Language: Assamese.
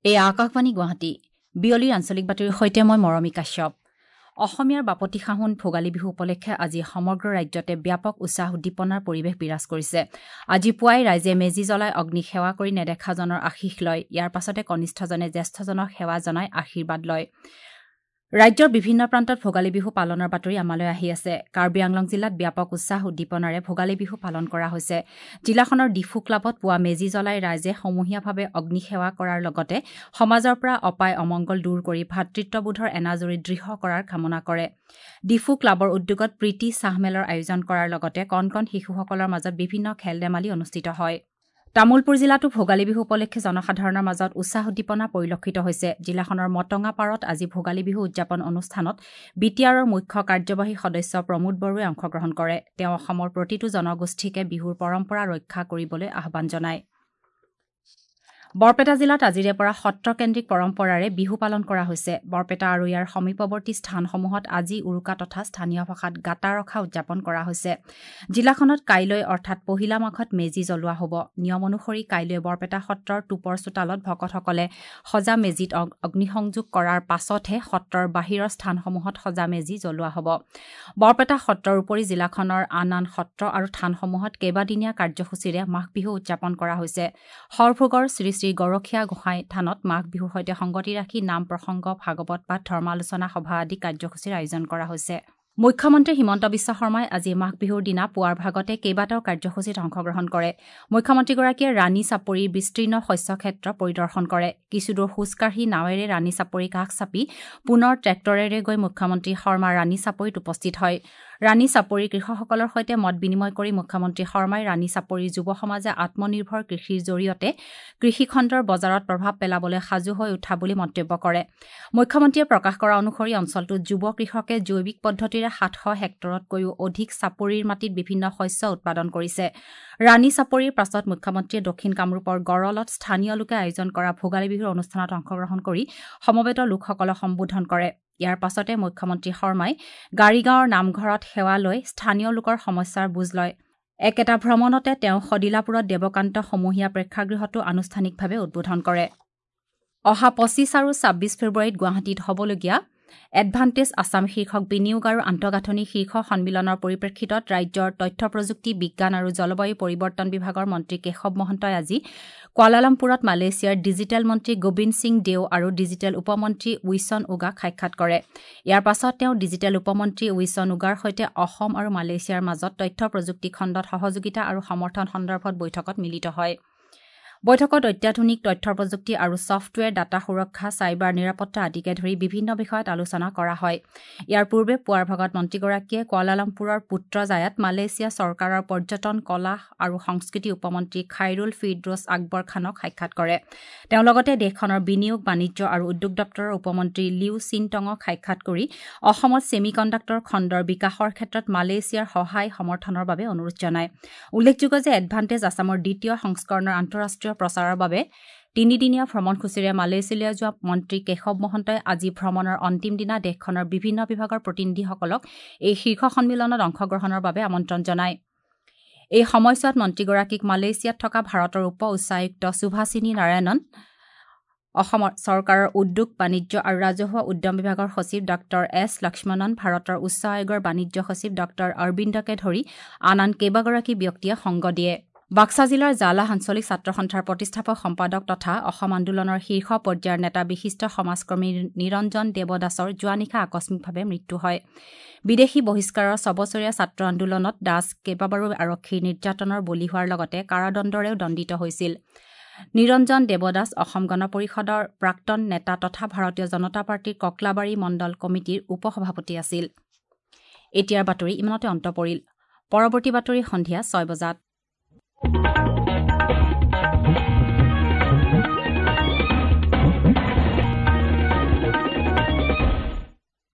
এয়া আকাশবাণী গুৱাহাটী। বিয়লিৰ আঞ্চলিক বাতৰিৰ সৈতে মই মৰমী কাশ্যপ। অসমীয়াৰ বাপতি সাহোন ভোগালী বিহু উপলক্ষে আজি সমগ্ৰ ৰাজ্যতে ব্যাপক উৎসাহ উদ্দীপনাৰ পৰিৱেশ বিৰাজ কৰিছে। আজি পুৱাই ৰাইজে মেজি জ্বলাই অগ্নিক সেৱা কৰি নেদেখাজনৰ আশীষ লয়। ইয়াৰ পাছতে কনিষ্ঠজনে জ্যেষ্ঠজনক সেৱা জনাই আশীৰ্বাদ লয়। ৰাজ্যৰ বিভিন্ন প্ৰান্তত ভোগালী বিহু পালনৰ বাতৰি আমালৈ আহি আছে। কাৰ্বি আংলং জিলাত ব্যাপক উৎসাহ উদ্দীপনাৰে ভোগালী বিহু পালন কৰা হৈছে। জিলাখনৰ ডিফু ক্লাবত পুৱা মেজি জ্বলাই ৰাইজে সমূহীয়াভাৱে অগ্নিসেৱা কৰাৰ লগতে সমাজৰ পৰা অপায় অমংগল দূৰ কৰি ভাতৃত্ববোধৰ এনাজৰী দৃঢ় কৰাৰ কামনা কৰে। ডিফু ক্লাবৰ উদ্যোগত প্ৰীতি চাহমেলৰ আয়োজন কৰাৰ লগতে কণ কণ শিশুসকলৰ মাজত বিভিন্ন খেল ধেমালি অনুষ্ঠিত হয়। তামুলপুৰ জিলাতো ভোগালী বিহু উপলক্ষে জনসাধাৰণৰ মাজত উৎসাহ উদ্দীপনা পৰিলক্ষিত হৈছে। জিলাখনৰ মটঙাপাৰত আজি ভোগালী বিহু উদযাপন অনুষ্ঠানত বি টি আৰৰ মুখ্য কাৰ্যবাহী সদস্য প্ৰমোদ বড়োৱে অংশগ্ৰহণ কৰে। তেওঁ অসমৰ প্ৰতিটো জনগোষ্ঠীকে বিহুৰ পৰম্পৰা ৰক্ষা কৰিবলৈ আহ্বান জনায়। বৰপেটা জিলাত আজিৰে পৰা সত্ৰকেন্দ্ৰিক পৰম্পৰাৰে বিহু পালন কৰা হৈছে। বৰপেটা আৰু ইয়াৰ সমীপৱৰ্তী স্থানসমূহত আজি উৰুকা তথা স্থানীয় ভাষাত গাতা ৰখা উদযাপন কৰা হৈছে। জিলাখনত কাইলৈ অৰ্থাৎ পহিলা মাঘত মেজি জ্বলোৱা হ'ব। নিয়ম অনুসৰি কাইলৈ বৰপেটা সত্ৰৰ টোপৰ চোতালত ভকতসকলে সজা মেজিত অগ্নিসংযোগ কৰাৰ পাছতহে সত্ৰৰ বাহিৰৰ স্থানসমূহত সজা মেজি জ্বলোৱা হ'ব। বৰপেটা সত্ৰৰ উপৰি জিলাখনৰ আন আন সত্ৰ আৰু থানসমূহত কেইবাদিনীয়া কাৰ্যসূচীৰে মাঘ বিহু উদযাপন কৰা হৈছে। সৰভোগৰ শ্ৰী শ্ৰী গৰখীয়া গোঁসাই থানত মাঘ বিহুৰ সৈতে সংগতি ৰাখি নাম প্ৰসংগ, ভাগৱত পাঠ, ধৰ্মালোচনা সভা আদি কাৰ্যসূচীৰ আয়োজন কৰা হৈছে। মুখ্যমন্ত্ৰী হিমন্ত বিশ্ব শৰ্মাই আজি মাঘ বিহুৰ দিনা পুৱাৰ ভাগতে কেইবাটাও কাৰ্যসূচীত অংশগ্ৰহণ কৰে। মুখ্যমন্ত্ৰীগৰাকীয়ে ৰাণী চাপৰিৰ বিস্তীৰ্ণ শস্য ক্ষেত্ৰ পৰিদৰ্শন কৰে। কিছুদূৰ খোজকাঢ়ি নাৱেৰে ৰাণী চাপৰি কাষ চাপি পুনৰ ট্ৰেক্টৰেৰে গৈ মুখ্যমন্ত্ৰী শৰ্মা ৰাণী চাপৰিত উপস্থিত হয়। ৰাণী চাপৰিৰ কৃষকসকলৰ সৈতে মত বিনিময় কৰি মুখ্যমন্ত্ৰী শৰ্মাই ৰাণী চাপৰিৰ যুৱ সমাজে আত্মনিৰ্ভৰ কৃষিৰ জৰিয়তে কৃষিখণ্ডৰ বজাৰত প্ৰভাৱ পেলাবলৈ সাজু হৈ উঠা বুলি মন্তব্য কৰে। মুখ্যমন্ত্ৰীয়ে প্ৰকাশ কৰা অনুসৰি অঞ্চলটোত যুৱ কৃষকে জৈৱিক পদ্ধতিৰে 700 হেক্টৰতকৈও অধিক চাপৰিৰ মাটিত বিভিন্ন শস্য উৎপাদন কৰিছে। ৰাণী চাপৰিৰ পাছত মুখ্যমন্ত্ৰীয়ে দক্ষিণ কামৰূপৰ গড়লত স্থানীয় লোকে আয়োজন কৰা ভোগালী বিহুৰ অনুষ্ঠানত অংশগ্ৰহণ কৰি সমবেত লোকসকলক সম্বোধন কৰে। ইয়াৰ পাছতে মুখ্যমন্ত্ৰী শৰ্মাই গাড়ীগাঁৱৰ নামঘৰত সেৱা লৈ স্থানীয় লোকৰ সমস্যাৰ বুজ লয়। একেটা ভ্ৰমণতে তেওঁ সদিলাপুৰত দেৱকান্ত সমূহীয়া প্ৰেক্ষাগৃহটো আনুষ্ঠানিকভাৱে উদ্বোধন কৰে। অহা 25 আৰু 26 ফেব্ৰুৱাৰীত গুৱাহাটীত হ'বলগীয়া এডভান্টেজ আছাম শীৰ্ষক বিনিয়োগ আৰু আন্তঃগাঁথনি শীৰ্ষ সন্মিলনৰ পৰিপ্ৰেক্ষিতত ৰাজ্যৰ তথ্য প্ৰযুক্তি, বিজ্ঞান আৰু জলবায়ু পৰিৱৰ্তন বিভাগৰ মন্ত্ৰী কেশৱ মহন্তই আজি কুৱালালামপুৰত মালয়েছিয়াৰ ডিজিটেল মন্ত্ৰী গোবিন্দ সিং দেও আৰু ডিজিটেল উপমন্ত্ৰী উইছন উগাক সাক্ষাৎ কৰে। ইয়াৰ পাছত তেওঁ ডিজিটেল উপমন্ত্ৰী উইছন উগাৰ সৈতে অসম আৰু মালয়েছিয়াৰ মাজত তথ্য প্ৰযুক্তি খণ্ডত সহযোগিতা আৰু সমৰ্থন সন্দৰ্ভত বৈঠকত মিলিত হয়। বৈঠকত অত্যাধুনিক তথ্য প্ৰযুক্তি আৰু ছফ্টৱেৰ, ডাটা সুৰক্ষা, চাইবাৰ নিৰাপত্তা আদিকে ধৰি বিভিন্ন বিষয়ত আলোচনা কৰা হয়। ইয়াৰ পূৰ্বে পুৱাৰ ভাগত মন্ত্ৰীগৰাকীয়ে কুৱালালামপুৰৰ পুত্ৰজায়াত মালয়েছিয়া চৰকাৰৰ পৰ্যটন, কলা আৰু সংস্কৃতি উপমন্ত্ৰী খাইৰুল ফিৰদৌছ আকবৰ খানক সাক্ষাৎ কৰে। তেওঁ লগতে দেশখনৰ বিনিয়োগ, বাণিজ্য আৰু উদ্যোগ দপ্তৰৰ উপমন্ত্ৰী লিউ চিনটঙক সাক্ষাৎ কৰি অসমত ছেমি কণ্ডাক্টৰ খণ্ডৰ বিকাশৰ ক্ষেত্ৰত মালয়েছিয়াৰ সহায় সমৰ্থনৰ বাবে অনুৰোধ জনায়। উল্লেখযোগ্য যে এডভান্টেজ আছামৰ দ্বিতীয় সংস্কৰণৰ আন্তঃৰাষ্ট্ৰীয় প্ৰচাৰৰ বাবে তিনিদিনীয়া ভ্ৰমণসূচীৰে মালয়েছিয়ালৈ যোৱা মন্ত্ৰী কেশৱ মহন্তই আজি ভ্ৰমণৰ অন্তিম দিনা দেশখনৰ বিভিন্ন বিভাগৰ প্ৰতিনিধিসকলক এই শীৰ্ষ সন্মিলনত অংশগ্ৰহণৰ বাবে আমন্ত্ৰণ জনায়। এই সময়ছোৱাত মন্ত্ৰীগৰাকীক মালয়েছিয়াত থকা ভাৰতৰ উপ উচ্চায়ুক্ত সুভাষিনী নাৰায়ণন, অসম চৰকাৰৰ উদ্যোগ, বাণিজ্য আৰু ৰাজহুৱা উদ্যম বিভাগৰ সচিব ডঃ এছ লক্ষ্মণন, ভাৰতৰ উচ্চ আয়োগৰ বাণিজ্য সচিব ডঃ অৰবিন্দকে ধৰি আন আন কেইবাগৰাকী ব্যক্তিয়ে সংগ দিয়ে। বাক্সা জিলাৰ জালাহ আঞ্চলিক ছাত্ৰ সন্থাৰ প্ৰতিষ্ঠাপক সম্পাদক তথা অসম আন্দোলনৰ শীৰ্ষ পৰ্যায়ৰ নেতা বিশিষ্ট সমাজকৰ্মী নিৰঞ্জন দেৱদাসৰ যোৱা নিশা আকস্মিকভাৱে মৃত্যু হয়। বিদেশী বহিষ্কাৰৰ ছবছৰীয়া ছাত্ৰ আন্দোলনত দাস কেইবাবাৰো আৰক্ষীৰ নিৰ্যাতনৰ বলি হোৱাৰ লগতে কাৰাদণ্ডৰেও দণ্ডিত হৈছিল। নিৰঞ্জন দেৱদাস অসম গণ পৰিষদৰ প্ৰাক্তন নেতা তথা ভাৰতীয় জনতা পাৰ্টীৰ ককলাবাৰী মণ্ডল কমিটিৰ উপ-সভাপতি আছিল। এতিয়াৰ বাতৰি ইমানতে অন্ত পৰিল। পৰৱৰ্তী বাতৰি সন্ধিয়া 6 বজাত।